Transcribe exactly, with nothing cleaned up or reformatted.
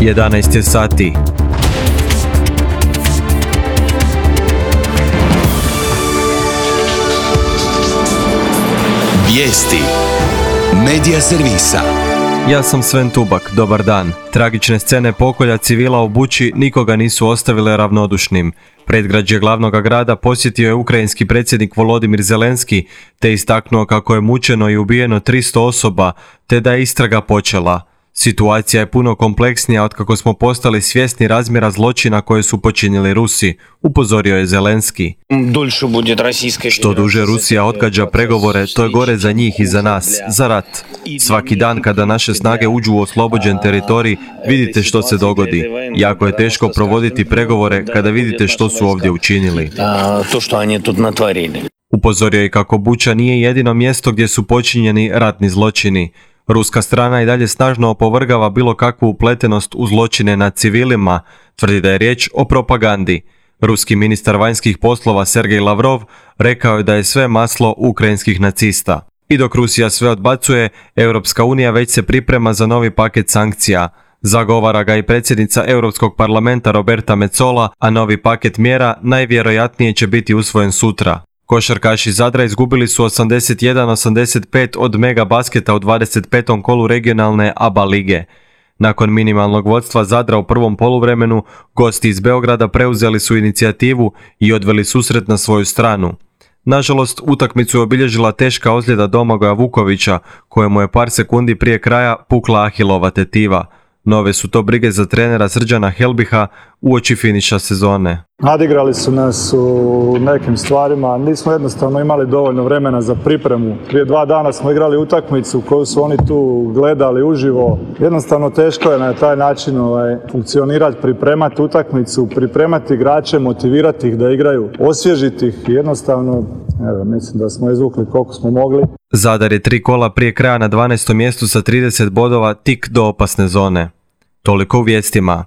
jedanaest je sati. Vijesti Medija servisa. Ja sam Sven Tubak, dobar dan. Tragične scene pokolja civila u Buči nikoga nisu ostavile ravnodušnim. Predgrađe glavnog grada posjetio je ukrajinski predsjednik Volodimir Zelenski, te istaknuo kako je mučeno i ubijeno tristo osoba, te da je istraga počela. Situacija je puno kompleksnija otkako smo postali svjesni razmjera zločina koje su počinili Rusi, upozorio je Zelenski. Što duže Rusija odgađa pregovore, to je gore za njih i za nas, za rat. Svaki dan kada naše snage uđu u oslobođen teritorij, vidite što se dogodi. Jako je teško provoditi pregovore kada vidite što su ovdje učinili. Upozorio je kako Buča nije jedino mjesto gdje su počinjeni ratni zločini. Ruska strana i dalje snažno opovrgava bilo kakvu upletenost u zločine nad civilima, tvrdi da je riječ o propagandi. Ruski ministar vanjskih poslova Sergej Lavrov rekao je da je sve maslo ukrajinskih nacista. I dok Rusija sve odbacuje, Europska unija već se priprema za novi paket sankcija. Zagovara ga i predsjednica Europskog parlamenta Roberta Metsola, a novi paket mjera najvjerojatnije će biti usvojen sutra. Košarkaši Zadra izgubili su osamdeset jedan osamdeset pet od Mega Basketa u dvadeset petom kolu regionalne A B A lige. Nakon minimalnog vodstva Zadra u prvom poluvremenu, gosti iz Beograda preuzeli su inicijativu i odveli susret na svoju stranu. Nažalost, utakmicu je obilježila teška ozljeda Domagoja Vukovića, kojemu je par sekundi prije kraja pukla ahilova tetiva. Nove su to brige za trenera Srđana Helbiha uoči finiša sezone. Nadigrali su nas u nekim stvarima, nismo jednostavno imali dovoljno vremena za pripremu. Prije dva dana smo igrali utakmicu koju su oni tu gledali uživo. Jednostavno teško je na taj način ovaj, funkcionirati, pripremati utakmicu, pripremati igrače, motivirati ih da igraju, osvježiti ih. Jednostavno, evo, mislim da smo izvukli koliko smo mogli. Zadar je tri kola prije kraja na dvanaestom mjestu sa trideset bodova tik do opasne zone. Toliko u vijestima.